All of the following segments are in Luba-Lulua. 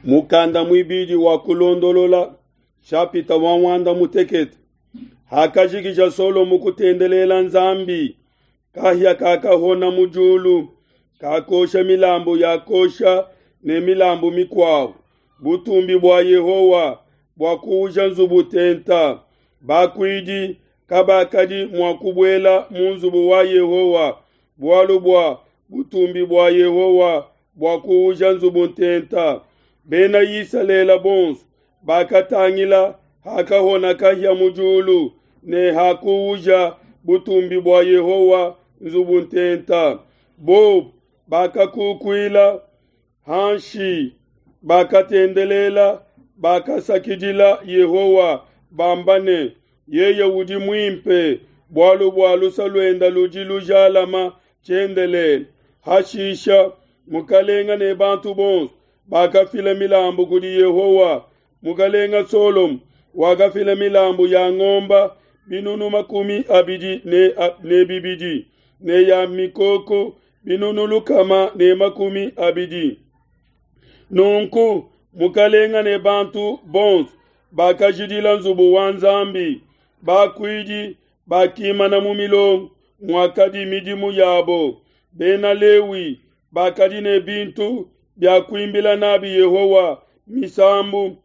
Mukanda muibidi wa Kulondolola, shapita wa muanda mutekete. Hakajikija Solomo kutendelela Nzambi, kahia kakahona mu diulu, kakosha milambu ya kosha ne milambu mikuabo. Butumbi bua Yehowa buakuuja nzubu tenta. Bakuidi kabakadi mua kubuela mu nzubu wa Yehowa, bualu bua butumbi bua Yehowa buakuuja nzubu ntenta. Bena Isalele bonso bakatangila hakahona kahia mu diulu ne hakuuja butumbi bua Yehowa nzubu ntenta. Bobu bakakukuila hanshi, bakatendelela, bakasakidila Yehowa bamba ne, Yeye udi muimpe, bualu bua luse luende ludi lujalama tshiendelele. Hashisha mukalenga ne bantu bonso bakafila milambu kudi Yehowa. Mukalenga Solomo wakafila milambu ya ngomba binunu 22 ne ya mikoko binunu 120. Nunku mukalenga ne bantu bonso bakajidila nzubu wa Nzambi. Bakuidi bakimana mu milongo muakadi midimu yabo. Bena Lewi bakadi ne bintu bia kuimbila nabi Yehowa misambu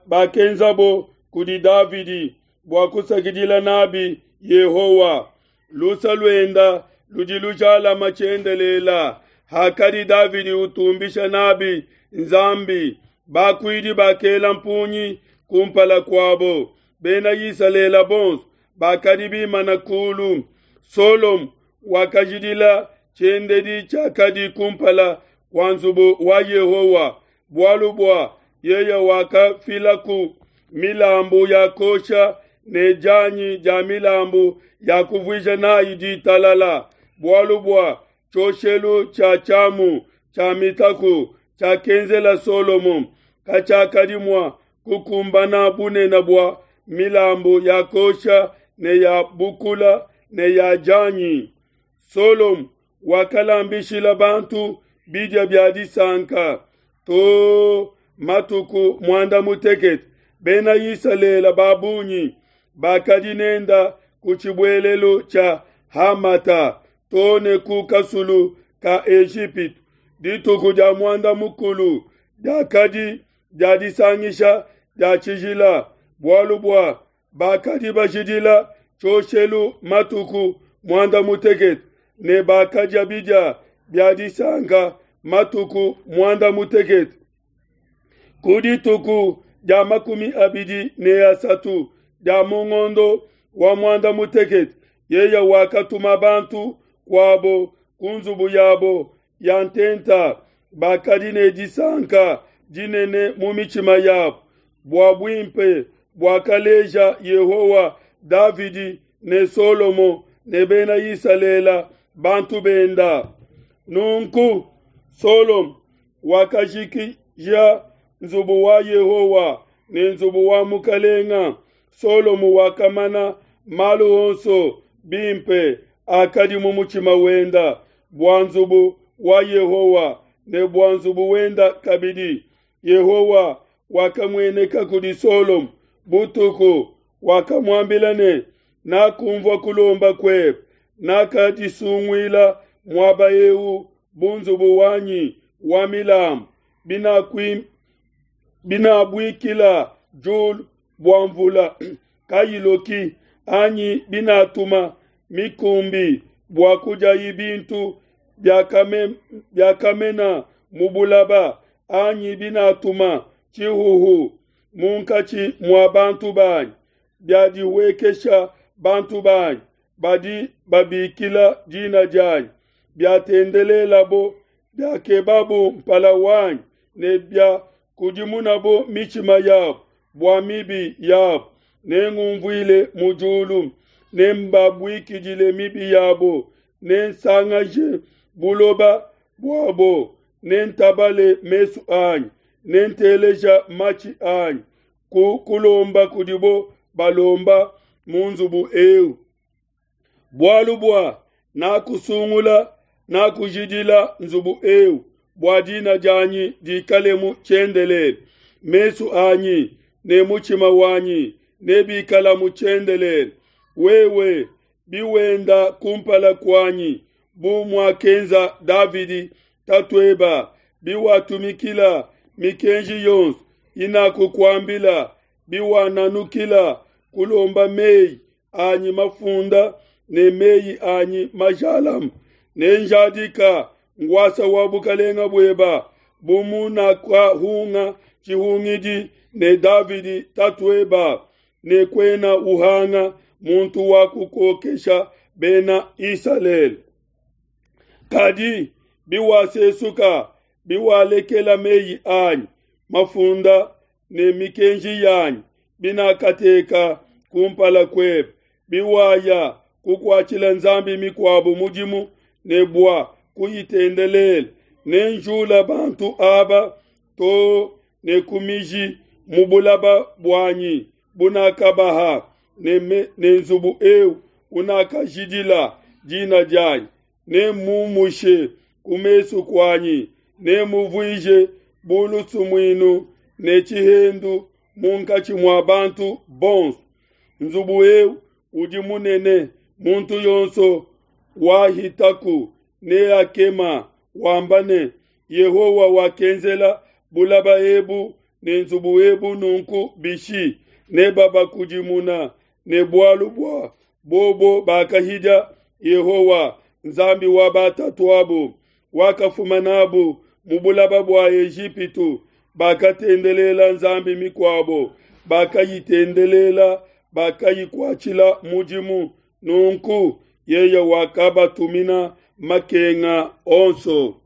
bakenzabo kudi Davidi bua kusakidila nabi Yehowa. Lusa luenda ludi lujalama tshiendelela. Hakadi Davidi utumbisha nabi Nzambi, bakuidi bakela mpungi kumpala kuabo. Bena Isalele bonso bakadi bimana kulu. Solomo wakajidila tshiendedi tshiakadi kumpala kua nzubu wa Yehowa, bualu bua yeye wakafilaku milambu ya kosha ne dianyi dia milambu ya kuvuija nayi ditalala, bualu bua tshioshelu tshia tshiamu tshia mitaku tshiakenzela Solomo katshiakadi mua kukumbana bunene bua milambu ya kosha ne ya bukula ne ya dianyi. Solomo wakalambishila bantu bidia bia disanka to matuku muanda mutekete. Bena Isalele ba bungi bakadi nenda ku tshibuelelu tshia Hamata to ne ku kasulu ka Ejipitu. Dituku dia muanda mukulu diakadi dia disangisha dia tshijila, bualu bua bakadi bajidila tshioshelu matuku muanda mutekete ne bakadia bidia bia disanka matuku muanda mutekete. Ku dituku dia 23 dia mu ngondo wa muanda mutekete, yeye wakatuma bantu kuabo ku nzubu yabo ya ntenta, bakadi ne disanka dinene mu mitshima yabo bua buimpe buakaleja Yehowa Davidi ne Solomo ne bena Isalele bantu benda. Nunku Solomo wakajikija nzubu wa Yehowa ne nzubu wa mukalenga. Solomo wakamana malu onso bimpe akadi mu mutshima wenda bua nzubu wa Yehowa ne bua nzubu wenda kabidi. Yehowa wakamueneka kudi Solomo butuku, wakamuambila ne, Nakumvua kulomba kuebe, nakadisunguila muaba eu bu nzubu wanyi wa milambu, binabuikila diulu bua mvula kayiloki, anyi binatuma mikumbi bua kudiayi bintu biakamena mu bulaba, anyi binatuma tshihuhu munkatshi mua bantu banyi, biadihuekesha bantu banyi badi babikila dina dianyi, biatendelelabo, biakebabo mpala wanyi ne biakudimunabo mitshima yabo bua mibi yabo, nengumvuile mu diulu, nembabuikidile mibi yabo, nensangaje buloba buabo, nentabale mesu anyi, nenteleja matshi anyi ku kulomba kudibo balomba mu nzubu eu. Bualu bua nakusungula, nakujidila nzubu eu. bua dina dianyi dikalemu tshiendelele. Mesu anyi ne mutshima wanyi nebikalamu tshiendelele. Wewe biwenda kumpala kuanyi bu muakenza Davidi tatueba, biwatumikila mikenji yonso inakukuambila, biwananukila kulomba meyi anyi mafunda ne meyi anyi majalame, nenjadika ngwasa wa bukalenga bueba bu munakahunga tshihungidi ne Davidi tatueba, ne kuena uhanga muntu wa kukokesha bena Isalele. Kadi biwasesuka, biwalekela meyi anyi mafunda ne mikenji yanyi binakateka kumpala kuebe, biwaya kukuatshila nzambi mikuabo mudimu ne bua kuyitendelela, nenjula bantu aba too ne ku miji mu bulaba buanyi bunakabaha, ne, me, ne nzubu eu unakajidila dina dianyi, nemmumushe ku mesu kuanyi, nemuvuije bu lusumuinu ne tshihendu munkatshi mua bantu bonso. Nzubu eu udi munene, muntu yonso wahitaku neakema wamba ne, Yehowa wakenzela bulaba ebu ne nzubu ebu nunku bishi? Nebabakudimuna ne bualu bua bobo bakahidia Yehowa, Nzambi wa batatuabo, wakafuma nabu mu bulaba bua Ejipitu, bakatendelela nzambi mikuabo, bakayitendelela, bakayikuatshila mudimu. Nunku yeye wakabatumina makenga onso.